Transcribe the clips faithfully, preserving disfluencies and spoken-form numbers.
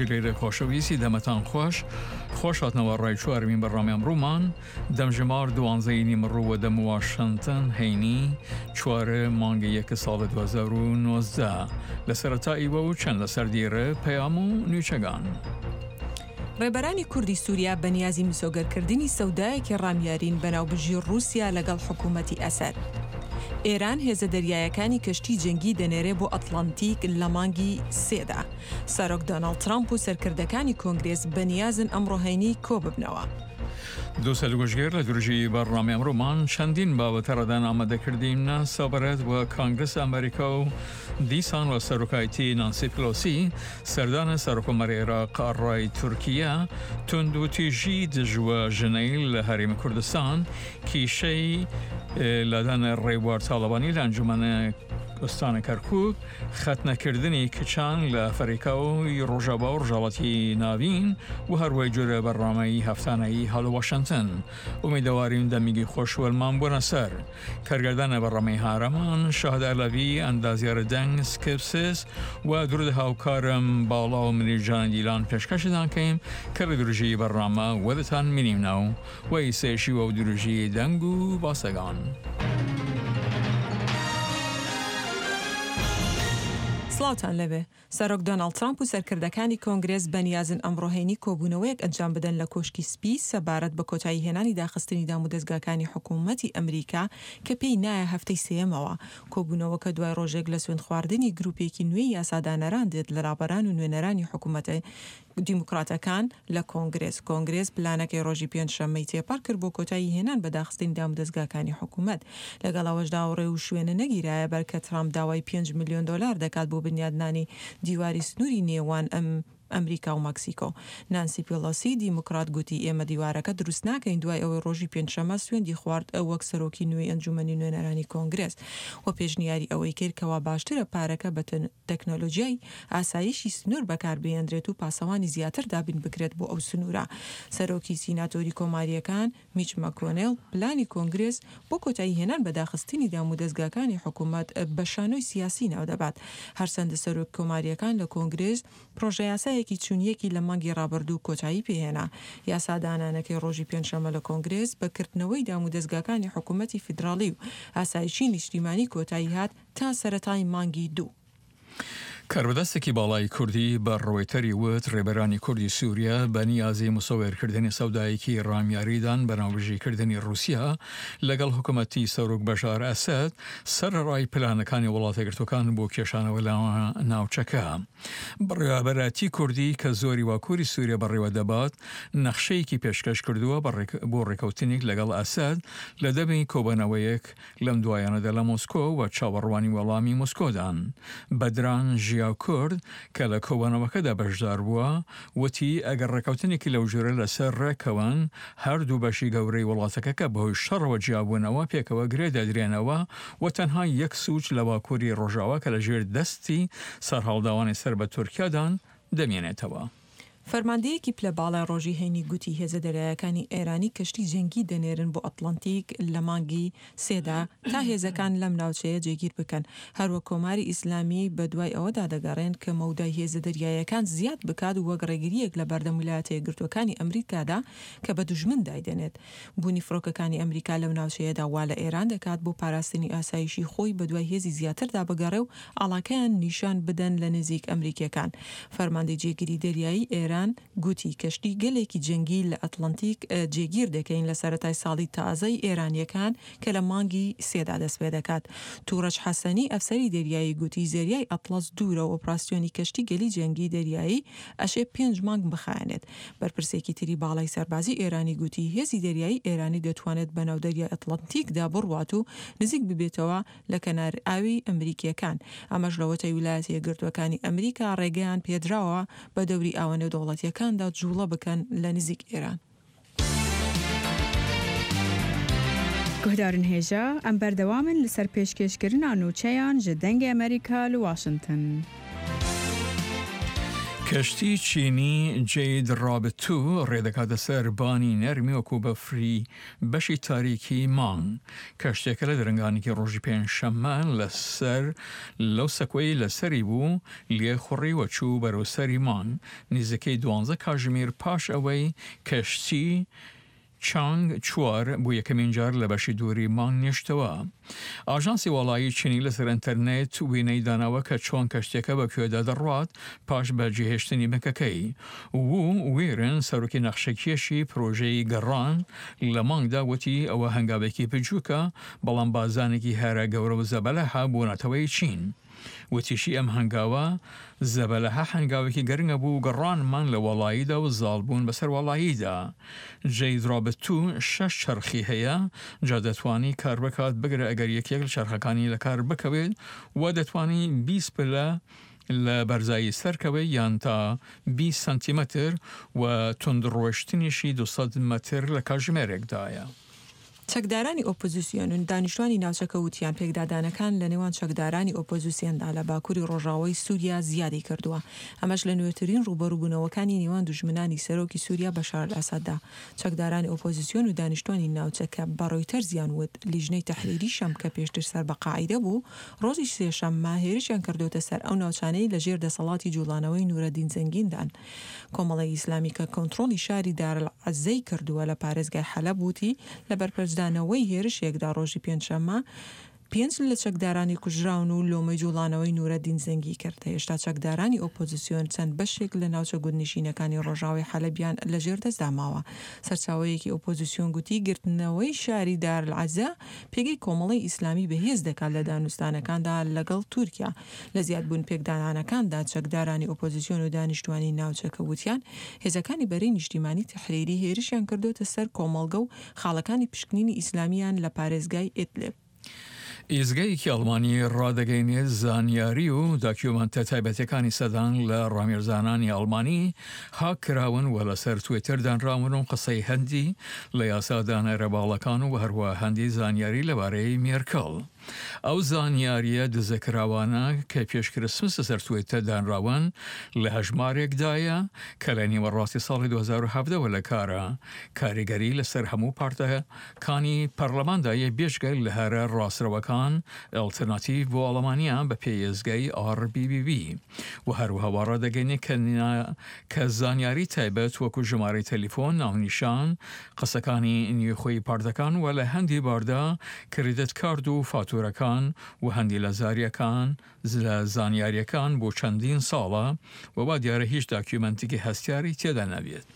گوشگلێرە خۆشەویستی دەمەتان خوەش خوەش هاتنەوە ڕای چوارمین بەرنامەی ئەمڕوومان دەمژمار دوانزەی نیمەڕوو وە دەم واشنتن هەینی چوار مانگ یەک ساڵ دۊ هەزار و نۆزدە لە سەرەتا ئیوە و چەند لەسەر دیرە پەیام و نوچەگان. ڕێبەرانی کوردی سووریا بە نیازی مسۆگەرکردنی سەودایەکی ڕامیارین بە ناوبژی ڕووسیا لەگەڵ حکوومەتی ئەسەد. ئێران هێزە دەریایەکانی کەشتی جەنگی دەنێرێ بۆ ئەتڵەنتیک لە مانگی سێدا. سەرۆک دۆناڵد ترامپ و سەرکردەکانی کۆنگرێس بەنیازن ئەمڕۆ هەینی کۆببنەوە. دووسەل گوشگێر لە درژی بەرنامەی ئەمڕۆمان چەندین بابەتە ڕەدان ئامادەکردیمنە سەبارەت وە کانگرس ئەمریکا و دیسان وە سەرۆکایەتی نانسی پلۆسی سەردان سەرۆککۆمار عێراق ئەڕای تورکیا توندوتیژی دژ وە ژنەیل لە هەرێم کوردستان کیشەی لادان ڕێبوار تاڵەبانی لە ئەنجومەن ئوستان کەرکوک خەتنەکردنی کچان لە ئەفریقا و ڕۆژاوا و ڕۆژهەڵاتی ناوین و هەروەی جۆرە بەرنامەی هەفتانەیی هەڵ واشنتن ئومیدەواریم دەمیگی خۆش وەلمان بۆنە سەر کارگردان بەرنامەی هارەمان شاهد ئەلەوی ئەندازیار دەنگ سکپسس و درود هاوکارم باڵا و منیرجان دیلان پێشکەشتان کەیم کە لە درژی بەرنامە وەدتان مینیمنەو و ئیسەیشی وە درژی دەنگ و باسەگان. سڵاوتان لەبێ. سەرۆک دۆناڵد ترامپ و سەرکردەکانی کۆنگرێس بەنیازن ئەمڕۆ هەینی کۆبوونەوەیەک ئەنجام بدەن لە کۆشکی سپی سەبارەت بە کۆتایی هێنانی داخستنی دامودەزگاکانی حکوومەتی ئەمریکا کە پێی نایە هەفتەی سێیەمەوە. کۆبوونەوەکە دوای ڕۆژێک لە سوێندخواردنی گرووپێکی نوێی یاسادانەران دێت لە ڕابەران و نوێنەرانی حکوومەتە دیموکراتەکان لە کۆنگرێس. کۆنگرێس پلانەکەی ڕۆژی پێنجشەممەی تێپەڕ کرد بۆ کۆتایی هێنان بە داخستنی دامودەزگاکانی حکوومەت. لەگەڵ ئەوەشدا ئەو ڕێوشوێنە نەگیرایە بەر کە ترامپ داوای پێنج ملیۆن دۆلار دەکات بۆ بنیادنانی دیواری سنووری نێوان ئەم ئەمریکا و مەکسیکۆ. نانسی پیڵۆسی دیموکرات گوتی ئێمە دیوارەکە دروست ناکەین دوای ئەوەی ڕۆژی پێنجشەممە سوێندی خوارد وەک سەرۆکی نوێی ئەنجومەنی نوێنەرانی کۆنگرێس و پێشنیاری ئەوەی کرد کەوا باشترە پارەکە بە تەکنۆلۆژیای ئاسایشی سنوور بەکاربهێنرێت و پاسەوانی زیاتر دابین بکرێت بۆ ئەو سنوورە. سەرۆکی سیناتۆری کۆمارییەکان میچ مەکۆنێڵ پلانی کۆنگرێس بۆ کۆتایی هێنان بە داخستنی دامودەزگاکانی حکوومەت بە شانۆی سیاسی ناودەبات. هەرچەندە سەرۆک کۆمارییەکان لە کۆنگرێس پرۆژەیاسایەکی چونیەکی لە مانگی ڕابردوو کۆتایی پێهێنا. یاسادانانەکەی ڕۆژی پێنجشەممە لە کۆنگرێس بە کردنەوەی دامودەزگاکانی حکوومەتی فیدراڵی و ئاسایشی نیشتیمانی کۆتایی هات تا سەرەتای مانگی دوو. کاربەدەستێکی باڵای کوردی بە ڕۆیتەری وت ڕێبەرانی کوردی سووریا بە نیازی مسۆوێرکردنی سەودایەکی ڕامیاریدان بە ناوبژیکردنی ڕووسیا لەگەڵ حکوومەتی سەرۆک بەشار ئەسەد سەرەڕای پلانەکانی وڵاتەگرتوەکان بۆ کێشانەوە لە ناوچەکە. بەڕێوەبەرایەتی کوردی کە زۆری واکووری سووریا بەڕێوە دەبات نەخشەیەکی پێشکەش کردووە بۆ ڕێکەوتنێک لەگەڵ ئەسەد لە دەمی کۆبەنەوەیەک لەم دوایانەدا لە مۆسکۆ و چاوەڕوانی وەڵامی مۆسکۆدان. بەدران ژیا کورد کە لە کۆبەنەوەکەدا بەشدار بووە وتی ئەگەر ڕێکەوتنێکی لەو جۆرە لەسەر ڕێکەوەن هەردوو بەشی گەورەی وڵاتەکە کە بەهۆی شەڕەوە جیابوونەوە پێکەوە گرێ دەدرێنەوە و تەنها یەک سوچ لە باکووری ڕۆژاوا کە لەژێر دەستی سەرهەڵداوانی سەر بە تورکیادان دەمێنێتەوە. فەرماندەیەکی پلە باڵای ڕۆژی هەینی گوتی هێزە دەریایەکانی ئێرانی کەشتی جەنگی دەنێرن بۆ ئەتڵەنتیک لە مانگی سێدا تا هێزەکان لەم ناوچەیە جێگیر بکەن. هەروەک کۆماری ئیسلامی بە دوای ئەوەدا دەگەڕێن کە مەودای هێزە دەریایەکان زیاد بکات وەک ڕێگرییەک لە بەردەم ویلایەتە یەکگرتووەکانی ئەمریکادا کە بە دوژمن دایدەنێت. بوونی فڕۆکەکانی ئەمریکا لەو ناوچەیەدا وا لە ئێران دەکات بۆ پاراستنی ئاسایشی خۆی بەدوای هێزی زیاتردا بگەڕێ و ئاڵاکەیان نیشان بدەن لە نزیک ئەمریکیەکان. فەرماندەی جێگیری دەریایی ئێران گوتی کەشتی گەلێکی جەنگی لە ئەتڵەنتیک جێگیر دەکەین لە سەرەتای ساڵی تازەی ئێرانیەکان کە لە مانگی سێدا دەست پێ دەکات. تورەج حەسەنی ئەفسەری دەریایی گوتی زەریای ئەتڵەس دوورە و ئۆپراسیۆنی کەشتی گەلی جەنگی دەریایی ئەشێ پێنج مانگ بخایەنێت. بەرپرسێکی تری باڵای سەربازی ئێرانی گوتی هێزی دەریایی ئێرانی دەتوانێت بەناو دەریای ئەتڵەنتیکدا بڕوات و نزیک ببێتەوە لە کەنار ئاوی ئەمریکیەکان. ئەمەش لەوەتەی ویلایەتە یەکگرتووەکانی ئەمریکا ڕێگەیان پێدراوە بە دەوری ئاوە نێودەوڵەتیەکاندا جوڵە بکەن لە نزیک ئێران. گوهدارن هێژا ئەم بەردەوامن لەسەر پێشکێشکردنا نوچەیان ji دەنگê ئەمریکا لە واشنتن. کەشتی چینی جەید ڕابت توو ڕێدەکاتە سەر بانی نەرمی وەکو بەفری بەشی تاریکی مانگ. کەشتیەکە لە درەنگانێکی ڕۆژی پێنجشەممە لەسەر لەو سەکۆی لەسەری بوو لێ خوڕی و چوو بەرەو سەری مانگ نزیکەی دوانزە کاژمیر پاش ئەوەی کەشتی چانگ چوار بۆ یەکەمین جار لە بەشی دووری مانگ نیشتەوە. ئاژانسی واڵایی چینی لەسەر ئینتەرنێت وێنەی داناوە کە چۆن کەشتیەکە بە کوێدا دەڕوات پاش بەجێهێشتنی بنکەکەی. وو ویرن سەرۆکی نەخشەکێشی پرۆژەی گەڕان لە مانگدا وتی ئەوە هەنگاوێکی بچووکە بەڵام بازانێکی هەرە گەورە و زەبەلەحە بۆ نەتەوەی چین. وتیشی ئەم هەنگاوە زەبەلەحە هەنگاوێکی گرنگە بوو گەڕانمان لە واڵاییدا و زاڵبوون بەسەر واڵاییدا. جەید ڕابت توو شەش چەرخی هەیە جا دەتوانی کار بکات بگرە ئەگەر یەکێک لە چەرخەکانی لە کار بکەوێت و دەتوانی بیست پلە لە بەرزایی سەرکەوێت یان تا بیست سانتیمەتر و توندڕۆشتنیشی دوو سەد مەتر لە کاتژمێرێکدایە. چەکدارانی ئۆپۆزیسیۆن و دانیشتوانی ناوچەکە وتیان پێکدادانەکان لە نێوان چەکدارانی ئۆپۆزیسیۆندا لە باکووری ڕۆژاوای سووریا زیادی کردووە، ئەمەش لە نوێترین ڕووبەڕووبوونەوەکانی نێوان دوژمنانی سەرۆکی سووریا بەشار ئەسەددا. چەکدارانی ئۆپۆزیسیۆن و دانیشتوانی ناوچەکە بە ڕۆیتەرزیان وت لیژنەی تەحریری شام کە پێشتر سەر بە قاعیدە بوو ڕۆژی سێشەممە هێرشیان کردۆتە سەر ئەو ناوچانەی لە ژێر دەسەڵاتی جوڵانەوەی نورەدین زەنگیندان. کۆمەڵەی ئیسلامی کە کۆنترۆڵی شاری دارالعزەی کردووە لە پارێزگای حەلەب وتی لە بەرپەرچدانەوەی هێرشێکدا ڕۆژی پێنجشەممە پێنج لە چەکدارانی کوژراون و لۆمەی جوڵانەوەی نورەدین زەنگی کرد. هێشتا چەکدارانی ئۆپۆزیسیۆن چەند بەشێک لە ناوچە گوندنشینەکانی ڕۆژاوای حەلەبیان لەژێر دەستدا ماوە. سەرچاوەیەکی ئۆپۆزیسیۆن گوتی گرتنەوەی شاری دارالعزە پێگەی کۆمەڵەی ئیسلامی بەهێز دەکات لە دانوستانەکاندا لەگەڵ تورکیا. لە زیادبوون پێکدادانەکاندا چەکدارانی ئۆپۆزیسیۆن و دانیشتوانی ناوچەکە وتیان هێزەکانی بەرەی نیشتیمانی تەحریری هێرشیان کردۆتە سەر کۆمەڵگە و خاڵەکانی پشکنینی ئیسلامیان لە پارێزگای ئیدلب. ئیزگەیەکی ئەڵمانی ڕادەگەینێت زانیاری و داکیومەنتە تایبەتەکانی سەدان لە ڕامیرزانانی ئەڵمانی هاک کراون و لەسەر تویتەر دانراون و قسەی هەندی لە یاسادانەرە باڵەکان و هەروە هەندی زانیاری لەبارەی مێرکڵ. ئەو زانیاریە دزەکراوانە کە پێش کریسمس لەسەر تویتەر دانراون لە هەژمارێکدایە کە لە نیوەڕاستی ساڵی دوو هەزار و حەڤدە لە کارە کاریگەری لەسەر هەموو پارتەکانی پەرلەماندایە بێژگە لە هەرە ڕاستڕەوەکان ئەلتەرناتیڤ بۆ ئەڵمانیا بە پێی ئێزگەی ئاڕ بی بی بی و هەروەها وا ڕادەگەینێ کە زانیاری تایبەت وەکو ژمارەی تەلیفۆن، ناونیشان، قسەکانی نوێخۆی پارتەکان و لە هەندی باردا کریدت کارد و فاتورەکان و هەندی لە زاریەکان لە زانیاریەکان بۆ چەندین ساڵە و وا دیارە هیچ داکیومنتێکی هەستیاری تێدا نەبێت.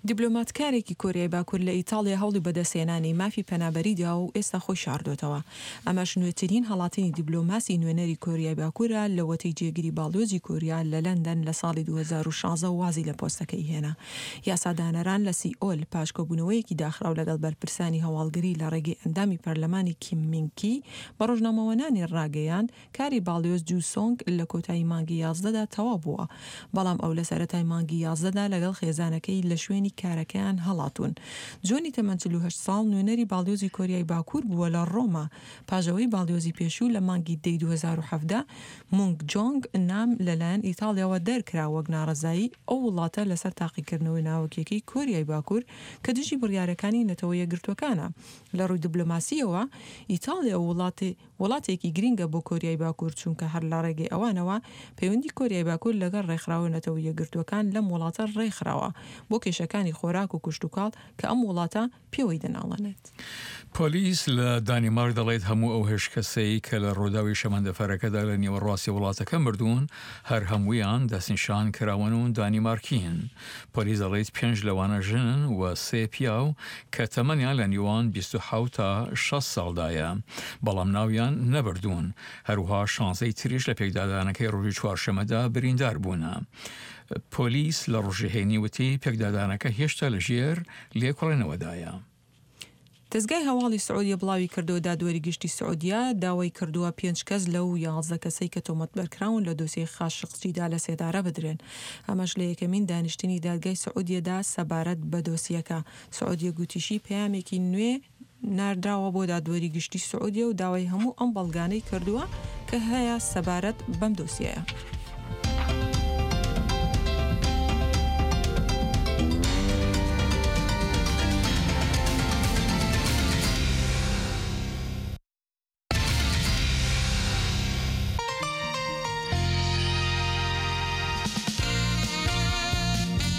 دیبلۆماتکارێکی کۆریای باکوور لە ئیتاڵیا هەوڵی بەدەستهێنانی مافی پەنابەری دا و ئێستا خۆی شاردۆتەوە. ئەمەش نوێترین هەڵاتنی دیبلۆماسی نوێنەری کۆریای باکوورە لەوەتەی جێگری باڵیۆزی کۆریا لە لەندەن لە ساڵی دوو هەزار و شازدە وازی لە پۆستەکەی هێنا. یاسادانەران لە سیئۆل پاشکۆبوونەوەیەکی داخراو لەگەڵ بەرپرسانی هەواڵگری لە ڕێگەی ئەندامی پەرلەمانی کیم مینکی بە ڕۆژنامەوانانی ڕاگەیاند کاری باڵیۆز جوو سۆنگ لە کۆتایی مانگی یازدەدا تەواو بووە، بەڵام ئەو لە سەرەتای مانگی یازدەدا لەگەڵ خێزانەکەی لە شوێنی کارەکەیان هەڵاتوون. جۆنی تەمەن چل و هەشت ساڵ نوێنەری باڵیۆزی کۆریای باکوور بووە لە ڕۆما، پاژەوەی باڵیۆزی پێشوو لە مانگی دەی دوو هەزار و حەڤدە مونگ جۆنگ نام لەلایەن ئیتاڵیاوە دەرکرا وەک ناڕەزایی ئەو وڵاتە لەسەر تاقیکردنەوەی ناوەکیەکەی کۆریای باکوور کە دژی بڕیارەکانی نەتەوە یەکگرتووەکانە. لە ڕووی دیبلۆماسیەوە ئیتاڵیا وڵاتی وڵاتێکی گرنگە بۆ کۆریای باکوور، چونکە هەر لە ڕێگەی ئەوانەوە پەیوەندی کۆریای باکوور لەگەڵ ڕێکخراوە نەتەوە یەکگرتووەکان لەم وڵاتە ڕێکخراوە بۆ کێشەکانی خۆراک و کشتوکاڵ کە ئەم وڵاتە پێوەی دەناڵێنێت. پۆلیس لە دانیمارک دەڵێت هەموو ئەو هەشت کەسەی کە لە ڕووداوی شەمەندەفەرەکەدا لە نیوەڕاستی وڵاتەکە مردوون هەر هەموویان دەستنیشان کراون و دانیمارکین. پۆلیس دەڵێت پێنج لەوانە ژنن و سێ پیاو کە تەمەنیان لە نیوان بیست و حەوت تا شەست ساڵدایە، بەڵام ناویان نەبردوون. هەروها شانزەی تریش لە پێکدادانەکەی ڕۆژی چوارشەممەدا بریندار بوونە. پۆلیس لە ڕۆژی هەینی وتی پێکدادانەکە هێشتا لەژێر لێکۆڵینەوەدایە. دەزگای هەواڵی سعودیە بڵاوی کردەوە دادوەری گشتی سعودیە داوای کردووە پێنج کەس لەو یازدە کەسەی کە تۆمەتبارکراون لە دۆسیەی خاشقچیدا لە سێدارە بدرێن. ئەمەش لە یەکەمین دانیشتنی دادگای سعودیەدا سەبارەت بە دۆسیەکە. سعودیە گوتیشی پەیامێکی نوێ ناردراوە بۆ دادوەری گشتی سعودیە و داوای هەموو ئەم بەڵگانەی کردووە کە هەیە سەبارەت بەم دۆسیەیە.